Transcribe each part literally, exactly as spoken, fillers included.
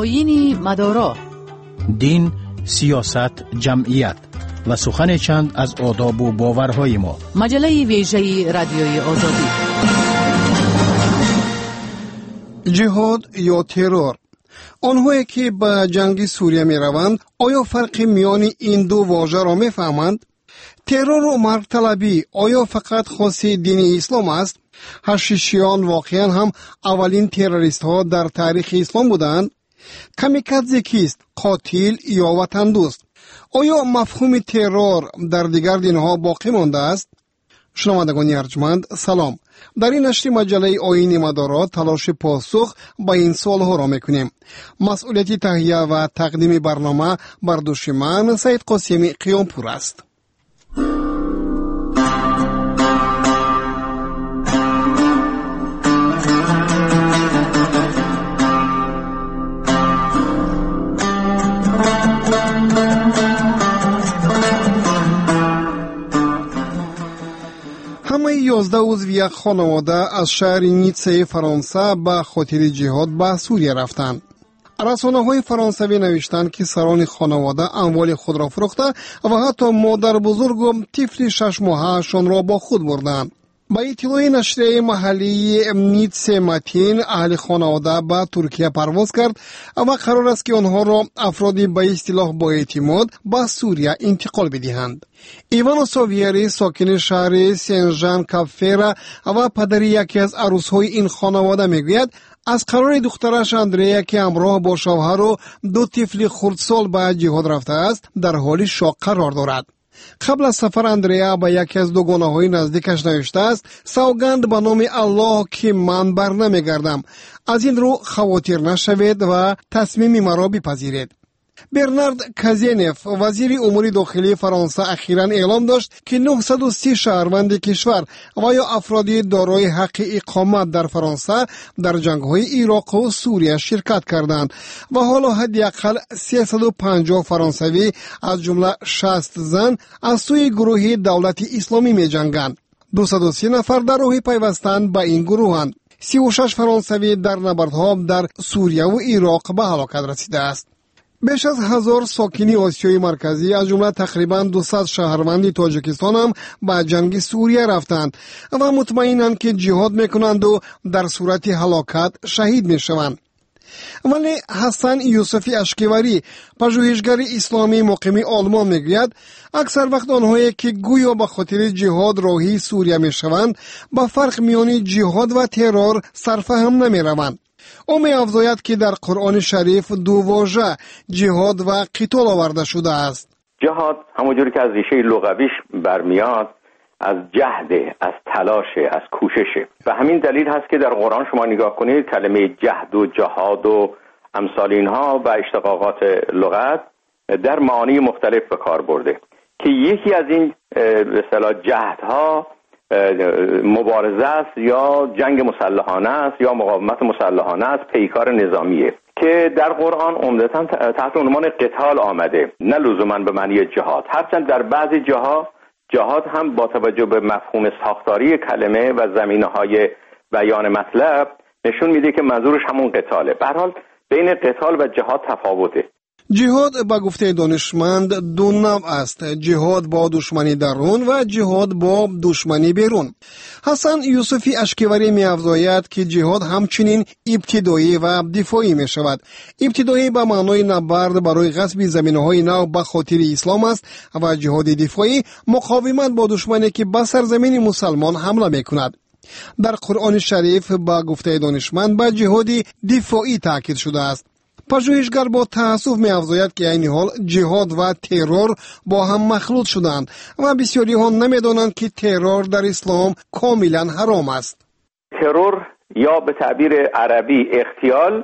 Оини мадоро, дин, сиёсат, ҷамъият ва сухане чанд аз одобу боварҳои мо. Маҷаллаи вежаи Радиои Озодӣ. Ҷиҳод ё террор? Онҳое ки ба ҷанги Сурия мераванд, оё фарқи миёни ин ду вожаро мефаҳманд? Террору маргталабӣ оё фақат хоси дини ислом аст? Ҳашишиён воқеан ҳам аввалин террористҳо дар таърихи ислом буданд? Камикадзе кист? Қотил ё ватандӯст? Оё мафҳуми террор дар дигар динҳо боқӣ мондааст? Шунавандагони арҷманд, салом. Дар ин нашри маҷаллаи Оини мадоро талоши посух ба ин суолҳоро мекунем. Масъулияти таҳия ва тақдими барнома бар дӯши ман, Саид Қосими Қиёмпур аст. Ҳамаи ёздаҳ узви як хонавода аз шаҳри Ниццаи Фаронса ба хотири ҷиҳод ба Сурия рафтанд. Расонаҳои фаронсавӣ навиштанд, ки сарони хонавода амволи худро фурӯхта ва ҳатто модарбузургу тифли шашмоҳаашонро бо худ бурданд. Ба иттилои нашрияи маҳаллии Ницце Матин, аҳли хонавода ба Туркия парвоз кард ва қарор аст, ки онҳоро афроди ба истилоҳ боэътимод ба Сурия интиқол бидиҳанд. Ивано Совиери, сокини шаҳри Сенжан Капфера ва падари яке аз арӯсҳои ин хонавода, мегӯяд, аз қарори духтараш Андрея, ки ҳамроҳ бо шавҳару ду тифли хурдсол ба ҷиҳод рафтааст, дар ҳоли шок қарор дорад. Қабл аз сафар Андрея ба яке аз дугонаҳои наздикаш навиштааст: савганд ба номи Аллоҳ, ки ман бар намегардам. Аз ин рӯ хавотир нашавед ва тасмими маро бипазиред. Бернард Казенев, вазири умури дохилии Фаронса, ахиран эълом дошт, ки нуҳсаду си шаҳрванди кишвар ва ё афроди дорои ҳаққи иқомат дар Фаронса дар ҷангҳои Ироқу Сурия ширкат карданд ва ҳоло ҳадди ақал сесаду панҷоҳ фаронсавӣ, аз ҷумла шаст зан, аз сӯи гурӯҳи Давлати Исломӣ меҷанганд. Дусаду си нафар дар роҳи пайвастан ба ин гурӯҳанд. Сиву шаш фаронсавӣ дар набардҳо дар Сурияву Ироқ ба ҳалокат расидааст. Беш аз ҳазор сокини Осиёи Марказӣ, аз ҷумла тақрибан дусад шаҳрванди Тоҷикистон ҳам ба ҷанги Сурия рафтанд ва мутмаинанд, ки ҷиҳод мекунанду дар сурати ҳалокат шаҳид мешаванд. Вале Ҳасан Юсуфи Ашкиварӣ, пажӯҳишгари исломии муқими Олмон, мегӯяд, аксар вақт онҳое ки гӯё ба хотири ҷиҳод роҳии Сурия мешаванд, ба фарқ миёни ҷиҳод ва террор сарфаҳм намераванд. Ӯ меафзояд, ки дар Қуръони Шариф ду вожа ҷиҳод ва қитол оварда шудааст. ҷиҳод ҳамонҷуре ки аз ریшаи луғавиш барمیاد، از جهد، از تلاش، از کوششه. و همین دلیل هست که در قرآن شما نگاه کنید کلمه جهد و جهاد و امثال اینها و اشتقاقات لغت در معانی مختلف به کار برده که یکی از این به اصطلاح جهدها مبارزه است یا جنگ مسلحانه است یا مقاومت مسلحانه است، پیکار نظامیه که در قرآن عمدتاً تحت عنوان قتال آمده، نه لزوماً به معنی جهاد. هرچند در بعضی جاها جهاد هم با توجه به مفهوم ساختاری کلمه و زمینه‌های بیان مطلب نشون میده که منظورش همون قتاله. به هر حال بین قتال و جهاد تفاوته. Ҷиҳод ба гуфтаи донишманд ду навъ аст: ҷиҳод бо душмани дарун ва ҷиҳод бо душмани берун. Ҳасан Юсуфи Ашкиварӣ меафзояд, ки ҷиҳод ҳамчунин ибтидоӣ ва дифоӣ мешавад. Ибтидоӣ ба маънои набард барои ғасби заминаҳои нав ба хотири ислом аст ва ҷиҳоди дифоӣ муқовимат бо душмане ки ба сарзамини мусалмон ҳамла мекунад. Дар Қуръони Шариф ба гуфтаи донишманд ба ҷиҳоди дифоӣ таъкид шудааст. Пажӯҳишгар бо таассуф меафзояд, ки айни ҳол ҷиҳод ва террор бо ҳам махлут шуданд ва бисёриҳо намедонанд, ки террор дар ислом комилан ҳаром аст. террор یا به تعبیر عربی اغتیال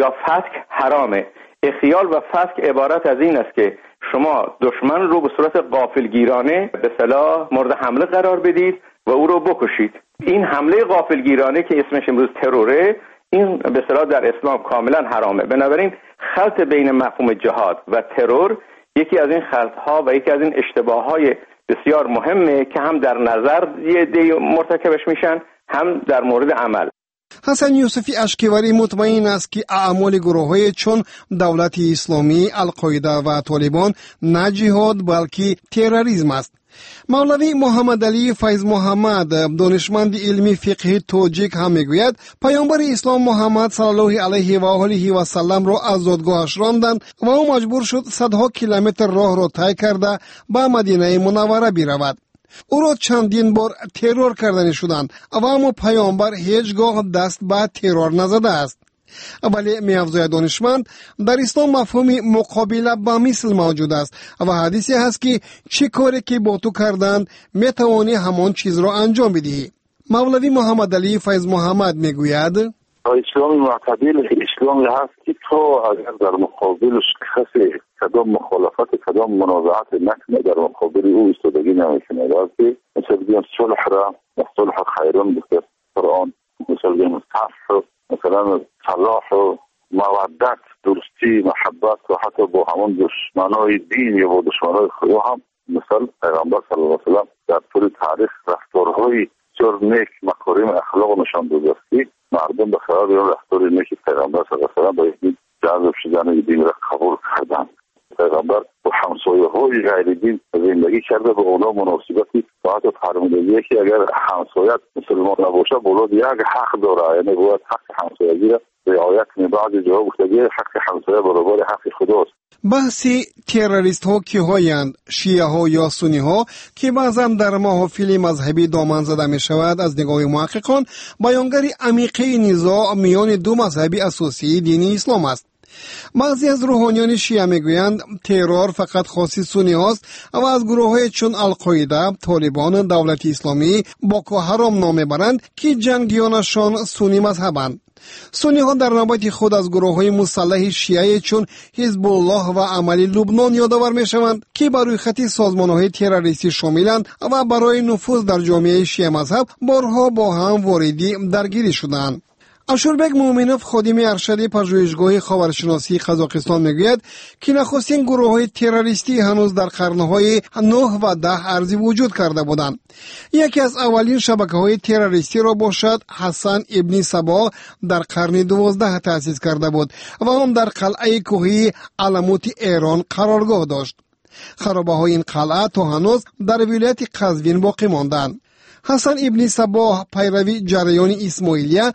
یا فتک حرامه. اغتیال و فتک عبارت از این است که شما دشمن رو به صورت غافلگیرانه به صلاح مورد حمله قرار بدید و او رو بکشید. این حمله غافلگیرانه که اسمش امروز تروره، این به اصطلاح در اسلام کاملا حرامه. بنابراین خلط بین مفهوم جهاد و ترور یکی از این خلط‌ها و یکی از این اشتباه‌های بسیار مهمه که هم در نظر یه عده مرتکبش میشن، هم در مورد عمل. Ҳасан Юсуфи Ашкиварӣ мутмаин аст, ки аъмоли гурӯҳҳое чун Давлати Исломӣ, Алқоида ва Толибон на ҷиҳод, балки терроризм аст. Мавлавӣ Муҳаммадалӣ Файзмуҳаммад, донишманди илми фиқҳи тоҷик, ҳам мегӯяд, паёмбари ислом Муҳаммад саллаллоҳу алайҳи ва олиҳи васалламро аз зодгоҳаш ронданд ва ӯ маҷбур шуд садҳо километр роҳро тай карда ба Мадинаи Мунаввара биравад. Ӯро чандин бор террор карданӣ шуданд, ва аммо паёмбар ҳеҷ гоҳ даст ба террор назадааст. Вале, меафзояд донишманд, дар ислом мафҳуми муқобила ба мисл мавҷуд аст ва ҳадисе ҳаст, ки чӣ коре ки бо ту карданд, метавонӣ ҳамон чизро анҷом бидиҳӣ. Мавлавӣ Муҳаммадалӣ Файзмуҳаммад мегӯяд: исломи муътадил исломе ҳаст, ки то агар дар муқобилаш касе кадом мухолифат, кадом мунозиат накунад, дар муқобили ӯ истодагӣ намекунад. Балки мисол бигӯем, сулҳро сулҳ хайрун гуфта Қуръон, мисол бигӯем, сафҳ, масалан, салоҳ, маваддат, дӯстӣ, муҳаббат ва ҳатто бо ҳамон душманои дин ё бо душманои Худо ҳам, мисол, Пайғамбар саллаллоҳу алайҳи васаллам дар тӯли таърих рафторҳои бисёр нек, макорими ахлоқ нишон додааст, ки мардум ба сабаби он рафтори неки Пайғамбар саллаллоҳу алайҳи васаллам ба дин ҷазб шудан ва динро қабул карданд. Пайғамбар бо ҳамсояҳои ғайридин зиндагӣ карда, ба онҳо муносибати ва ҳатто фармудагие, ки агар ҳамсоят мусулмон набошад, боло як ҳақ дорад, яъне бояд ҳаққи ҳамсоягиро риоят кунӣ. Баъзе ҷоҳо гуфтагӣ ҳаққи ҳамсоя баробари ҳаққи Худост. Баҳси террористҳо киҳоянд, шиаҳо ё сунниҳо, ки баъзан дар маҳофили мазҳабӣ доман зада мешавад, аз нигоҳи муҳаққиқон баёнгари амиқаи низоъ миёни ду мазҳаби асосии дини ислом аст. Баъзе аз рӯҳониёни шиа мегӯянд, террор фақат хоси сунниҳост ва аз гурӯҳҳое чун Алқоида, Толибон, Давлати Исломӣ, Боко Ҳаром ном мебаранд, ки ҷангиёнашон суннӣ мазҳабанд. Сунниҳо дар навбати худ аз гурӯҳҳои мусаллаҳи шиае чун Ҳизбуллоҳ ва Амали Лубнон ёдовар мешаванд, ки ба рӯйхати созмонҳои террористӣ шомиланд ва барои нуфуз дар ҷомеаи шиамазҳаб борҳо бо ҳам вориди даргирӣ шуданд. Ашурбек Муъминов, ходими аршади пажӯҳишгоҳи ховаршиносии Қазоқистон, мегӯяд, ки нахустин гурӯҳҳои террористӣ ҳанӯз дар қарнҳои нӯҳ ва даҳ арзи вуҷуд карда буданд. Яке аз аввалин шабакаҳои террористиро бошад Ҳасан ибни Сабо дар қарни дувоздаҳ таъсис карда буд ва он дар қалъаи кӯҳии Аламути Эрон қароргоҳ дошт. Харобаҳои ин қалъа то ҳанӯз дар вилояти Қазвин боқӣ монданд. Ҳасан ибни Сабоҳ, пайрави ҷараёни Исмоилия,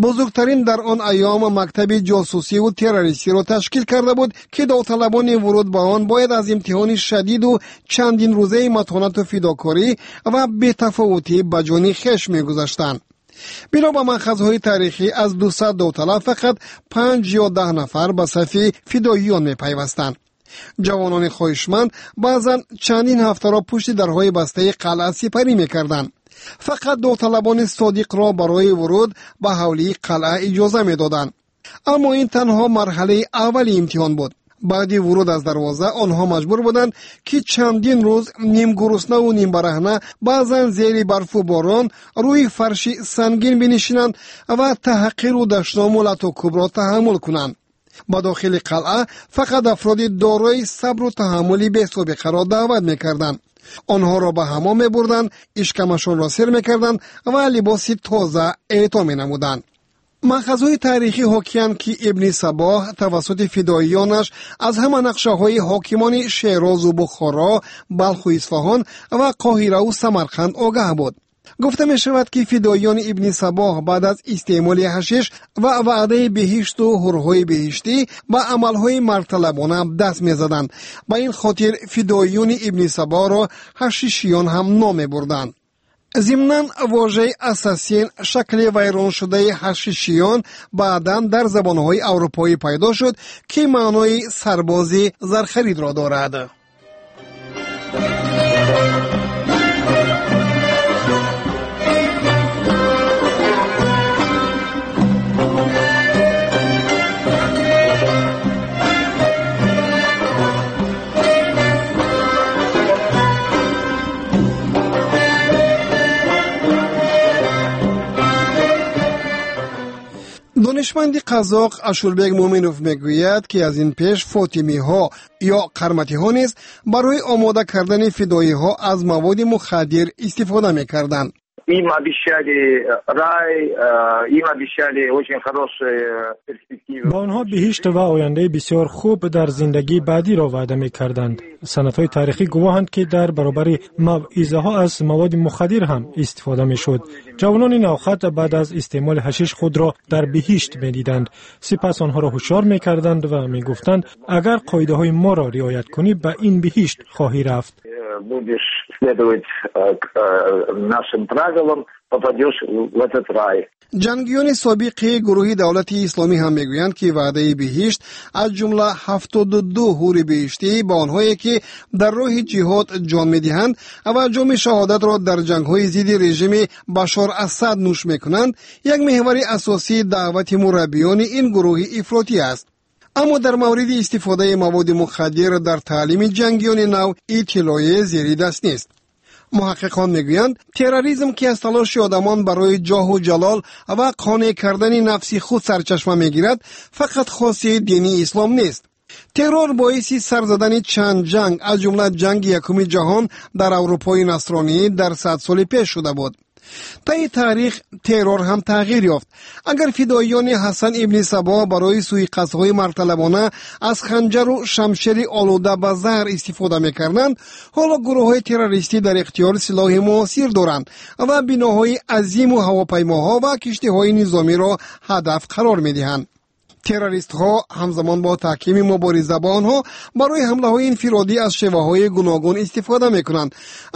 бузургтарин дар он айём мактаби ҷосусиву террористиро ташкил карда буд, ки довталабони вуруд ба он бояд аз имтиҳони шадиду чандин рӯзаи матонату фидокорӣ ва бетафовутӣ ба ҷони хеш мегузаштанд. Бино ба манхазҳои таърихӣ, аз дусад довталаб фақат панҷ ё даҳ нафар ба сафи фидоиён мепайвастанд. Ҷавонони хоҳишманд баъзан чандин ҳафтаро пушти дарҳои бастаи қалъа сипарӣ мекарданд. Фақат довталабони содиқро барои вуруд ба ҳавлии қалъа иҷоза медоданд. Аммо ин танҳо марҳалаи аввали имтиҳон буд. Баъди вуруд аз дарвоза онҳо маҷбур буданд, ки чандин рӯз нимгуруснаву нимбараҳна, баъзан зери барфу борон, рӯи фарши сангин бинишинанд ва таҳқиру дашному латукӯбро таҳаммул кунанд. Ба дохили қалъа фақат афроди дорои сабру таҳаммули бесобиқаро даъват мекарданд. Онҳоро ба ҳамом мебурданд, ишкамашонро сер мекарданд ва либоси тоза эъто менамуданд. Манхазҳои таърихӣ ҳокиянд, ки ибни Сабоҳ тавассути фидоиёнаш аз ҳама нақшаҳои ҳокимони Шерозу Бухоро, Балху Исфаҳон ва Қоҳираву Самарқанд огаҳ буд. Гуфта мешавад, ки фидоиёни ибни Сабоҳ баъд аз истеъмоли ҳашиш ва ваъдаи беҳишту ҳурҳои беҳиштӣ ба амалҳои мардталабона даст мезаданд. Ба ин хотир фидоиёни ибни Сабоҳро ҳашишиён ҳам ном мебурданд. Зимнан, вожаи ассасин, шакли вайроншудаи ҳашишиён, баъдан дар забонҳои аврупоӣ пайдо шуд, ки маънои сарбози зархаридро дорад. Донишманди қазоқ Ашурбек Муъминов мегӯяд, ки аз ин пеш фотимиҳо ё қарматиҳо низ барои омода кардани фидоиҳо аз маводи мухаддир истифода мекарданд. Им обещали рай, им обещали очень хорошие перспективы. Ба онҳо биҳишт ва ояндаи бисёр хуб дар зиндагии баъдиро ваъда мекарданд. Санадҳои таърихӣ гувоҳанд, ки дар баробари мавъизаҳо аз маводи мухаддир ҳам истифода мешуд. Ҷавонони навхат баъд аз истеъмоли ҳашиш худро дар биҳишт медиданд. Сипас онҳоро ҳушёр мекарданд ва мегуфтанд, агар қоидаҳои моро риоят кунӣ, ба ин биҳишт хоҳӣ рафт. Будешь следовать нашим правилам, попадешь в этот рай. Ҷангиёни собиқи гурӯҳи Давлати Исломӣ ҳам мегӯянд, ки ваъдаи биҳишт, аз ҷумла ҳафтоду ду ҳури биҳиштӣ ба онҳое, ки дар роҳи ҷиҳод ҷон медиҳанд ва ҷоми шаҳодатро дар ҷангҳои зидди режими Башор Асад нӯш мекунанд, як меҳвари асосии даъвати мураббиёни ин гурӯҳи ифротӣ аст. Аммо дар мавриди истифодаи маводи мухаддир дар таълими ҷангиёни нав иттилоъе зери даст нест. Муҳаққиқон мегӯянд, терроризм, ки аз талоши одамон барои ҷоҳу ҷалол ва қонеъ кардани нафси худ сарчашма мегирад, фақат хоси дини ислом нест. Террор боиси сар задани чанд ҷанг, аз ҷумла ҷанги якуми ҷаҳон дар Аврупои насронӣ дар сад соли пеш шуда буд. Таи таърих террор ҳам тағйир ёфт. Агар фидоиёни Ҳасан ибни Сабо барои суиқасдҳои маргталабона аз ханҷару шамшери олуда ба заҳр истифода мекарданд, ҳоло гурӯҳҳои террористӣ дар ихтиёр силоҳи муосир доранд ва биноҳои азиму ҳавопаймоҳо ва киштиҳои низомиро ҳадаф қарор медиҳанд. Террористҳо ҳамзамон бо таҳкими мубориза бо онҳо барои ҳамлаҳои инфиродӣ аз шеваҳои гуногун истифода мекунанд.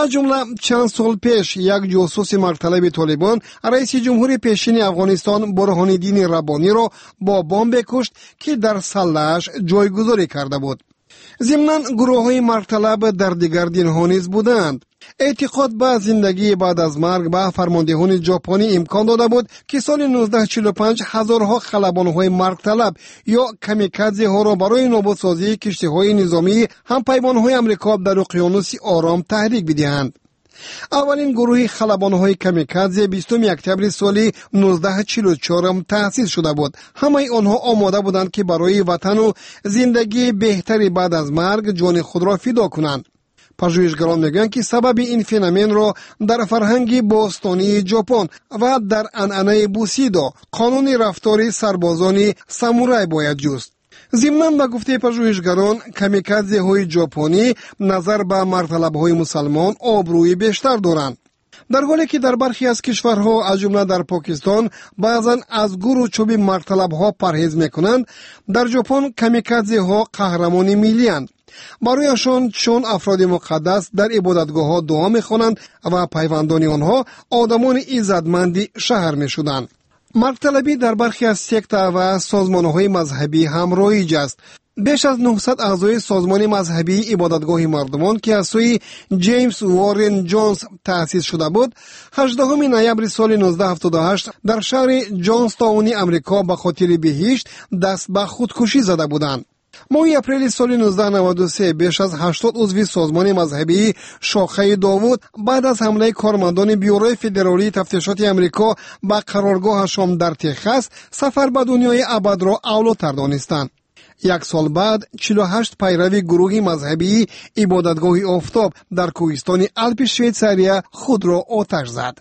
Аз ҷумла чанд сол пеш як ҷосуси маргталаби Толибон раиси ҷумҳури пешини Афғонистон Бурҳониддини Раббониро бо бомбе кушт, ки дар саллааш ҷойгузорӣ карда буд. Зимнан гурӯҳҳои маргталаб дар дигар динҳо низ буданд. Эътиқод ба зиндагии баъд аз марг ба фармондеҳони ҷопонӣ имкон дода буд, ки соли нуздаҳ чилу панҷ ҳазорҳо халабонҳои маргталаб ё камикадзеҳоро барои нобудсозии киштиҳои низомии ҳампаймонҳои Амрико дар уқёнуси Ором таҳрик бидиҳанд. Аввалин гурӯҳи халабонҳои камикадзе бистуми октябри соли нуздаҳ чилу чорум таъсис шуда буд. Ҳамаи онҳо омода буданд, ки барои ватану зиндагии беҳтари баъд аз марг ҷони худро фидо кунанд. Пажӯҳишгарон мегӯянд, ки сабаби ин феноменро дар фарҳанги бостонии Ҷопон ва дар анъанаи бусидо, қонуни рафтори сарбозони самурай, бояд ҷуст. Зимнан ба гуфтаи пажӯҳишгарон, камикадзеҳои ҷопонӣ назар ба маргталабҳои мусалмон обрӯи бештар доранд. Дар ҳоле ки дар бархе аз кишварҳо, аз ҷумла дар Покистон, баъзан аз гуру чӯби маргталабҳо парҳез мекунанд, дар Ҷопон камикадзеҳо қаҳрамони миллиянд. Барояшон чун афроди муқаддас дар ибодатгоҳҳо дуо мехонанд ва пайвандони онҳо одамони иззатманди шаҳр мешуданд. Маргталабӣ дар бархе аз секта ва созмонҳои мазҳабӣ ҳам роиҷ аст. Беш аз нӯҳсад аъзои созмони мазҳабии ибодатгоҳи мардумон, ки аз сӯи Ҷеймс Уоррен Ҷонс таъсис шуда буд, ҳаждаҳуми ноябри соли нуздаҳ ҳафтоду ҳашт дар шаҳри Ҷонстауни Амрико ба хотири биҳишт даст ба худкушӣ зада буданд. Моҳи апрели соли нуздаҳ наваду се беш аз ҳаштод узви созмони мазҳабии шохаи Довуд баъд аз ҳамлаи кормандони Бюрои федералии тафтишоти Амрико ба қароргоҳашон дар Техас сафар ба дунёи абадро авлотар донистанд. Як сол баъд чилу ҳашт пайрави гурӯҳи мазҳабии ибодатгоҳи офтоб дар кӯҳистони Алпи Швейтсария худро оташ зад.